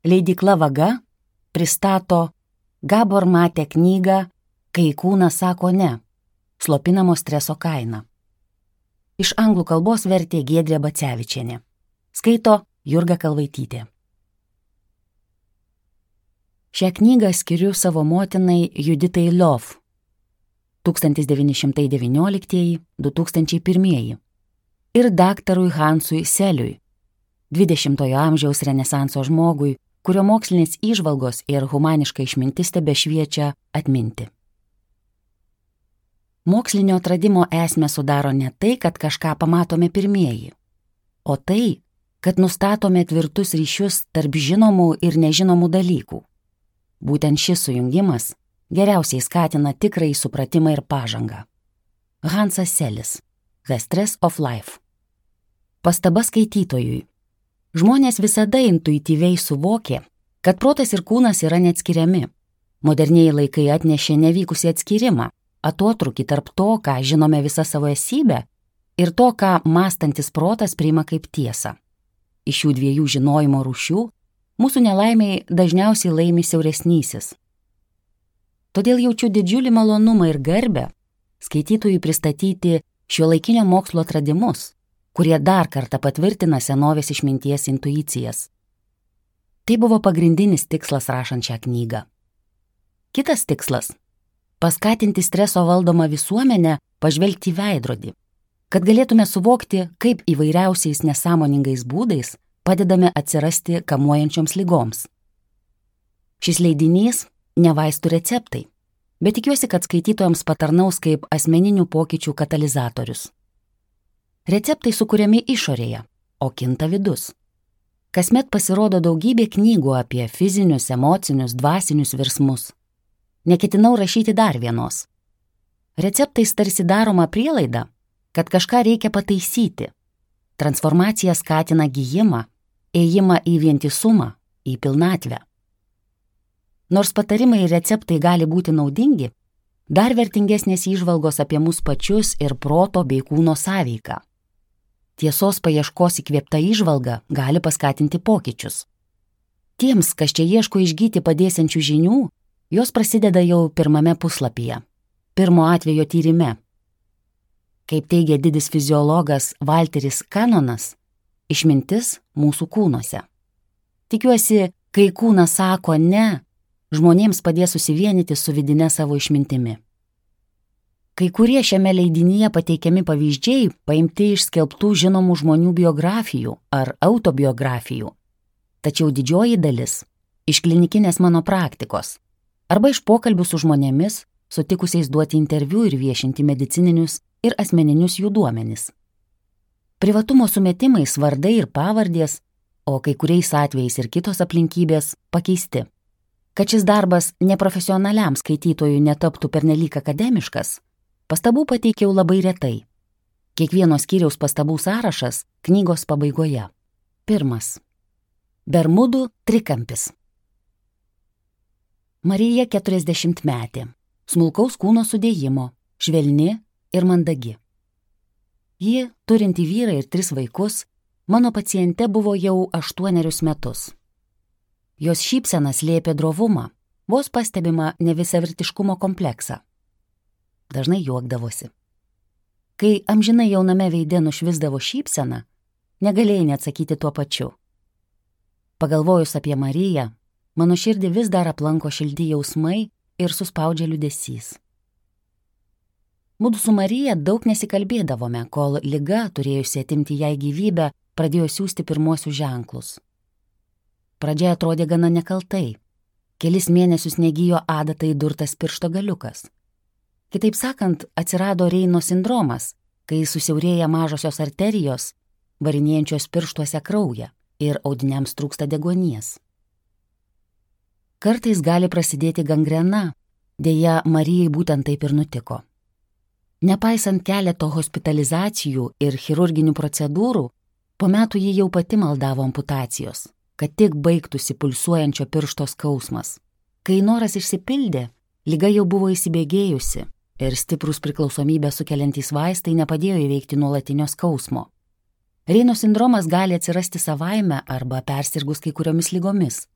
Leidykla Vaga pristato Gabor Mate knygą Kai kūnas sako ne, slopinamo streso kaina. Iš anglų kalbos vertė Giedrė Bacevičienė. Skaito Jurga Kalvaitytė. Šią knygą skiriu savo motinai Juditai Liov 1919–2001 ir daktarui Hansui Seliui, 20-ojo amžiaus renesanso žmogui, kurio mokslinės įžvalgos ir humaniška išmintis tebešviečia atminti. Mokslinio atradimo esmę sudaro ne tai, kad kažką pamatome pirmieji, o tai, kad nustatome tvirtus ryšius tarp žinomų ir nežinomų dalykų. Būtent šis sujungimas geriausiai skatina tikrąjį supratimą ir pažangą. Hansas Selis, The Stress of Life. Pastaba skaitytojui. Žmonės visada intuityviai suvokė, kad protas ir kūnas yra neatskiriami. Modernieji laikai atnešė nevykusį atskirimą, atotrūkį tarp to, ką žinome visą savo esybę, ir to, ką mąstantis protas priima kaip tiesą. Iš šių dviejų žinojimo rūšių mūsų nelaimiai dažniausiai laimi siauresnysis. Todėl jaučiu didžiulį malonumą ir garbę skaitytojui pristatyti šiuolaikinio mokslo atradimus, kurie dar kartą patvirtina senovės išminties intuicijas. Tai buvo pagrindinis tikslas rašant šią knygą. Kitas tikslas – paskatinti streso valdomą visuomenę pažvelgti į veidrodį, kad galėtume suvokti, kaip įvairiausiais nesąmoningais būdais padedame atsirasti kamuojančioms ligoms. Šis leidinys ne vaistų receptai, bet tikiuosi, kad skaitytojams patarnaus kaip asmeninių pokyčių katalizatorius. Receptai sukuriami išorėje, o kinta vidus. Kasmet pasirodo daugybė knygų apie fizinius, emocinius, dvasinius virsmus. Neketinau rašyti dar vienos. Receptais tarsi daroma prielaida, kad kažką reikia pataisyti. Transformacija skatina gijimą, ėjimą į vientisumą, į pilnatvę. Nors patarimai ir receptai gali būti naudingi, dar vertingesnės įžvalgos apie mus pačius ir proto bei kūno sąveiką. Tiesos paieškos įkvėpta įžvalga gali paskatinti pokyčius. Tiems, kas čia ieško išgyti padėsiančių žinių, jos prasideda jau pirmame puslapyje, pirmo atvejo tyrime. Kaip teigia didis fiziologas Walteris Kanonas, išmintis mūsų kūnuose. Tikiuosi, kai kūnas sako ne, žmonėms padės susivienyti su vidine savo išmintimi. Kai kurie šiame leidinyje pateikiami pavyzdžiai paimti iš skelbtų žinomų žmonių biografijų ar autobiografijų, tačiau didžioji dalis iš klinikinės mano praktikos arba iš pokalbių su žmonėmis, sutikusiais duoti interviu ir viešinti medicininius ir asmeninius jų duomenis. Privatumo sumetimais vardai ir pavardės, o kai kuriais atvejais ir kitos aplinkybės pakeisti. Kad šis darbas neprofesionaliam skaitytojui netaptų pernelyg akademiškas, pastabų pateikiau labai retai. Kiekvieno skyriaus pastabų sąrašas knygos pabaigoje. 1. Bermudų trikampis. Marija 40-metė, smulkaus kūno sudėjimo, švelni ir mandagi. Ji, turinti vyrą ir 3 vaikus, mano paciente buvo jau 8 metus. Jos šypsena slėpė drovumą, vos pastebima nevisavertiškumo kompleksą. Dažnai juokdavosi. Kai amžinai jauname veide nušvisdavo šypsena, negalėjai neatsakyti tuo pačiu. Pagalvojus apie Mariją, mano širdį vis dar aplanko šilti jausmai ir suspaudžia liūdesys. Mudu su Marija daug nesikalbėdavome, kol liga, turėjusi atimti jai gyvybę, pradėjo siųsti pirmosius ženklus. Pradžia atrodė gana nekaltai. Kelis mėnesius negijo adata įdurtas piršto galiukas. Kitaip sakant, atsirado Reino sindromas, kai susiaurėja mažosios arterijos, varinėjančios pirštuose kraują ir audiniams trūksta deguonies. Kartais gali prasidėti gangrena, deja Marijai būtent taip ir nutiko. Nepaisant keleto hospitalizacijų ir chirurginių procedūrų, po metų ji jau pati maldavo amputacijos, kad tik baigtųsi pulsuojančio piršto skausmas. Kai noras išsipildė, liga jau buvo įsibėgėjusi ir stiprus priklausomybę sukeliantys vaistai nepadėjo įveikti nuolatinio skausmo. Reino sindromas gali atsirasti savaime arba persirgus kai kuriomis ligomis.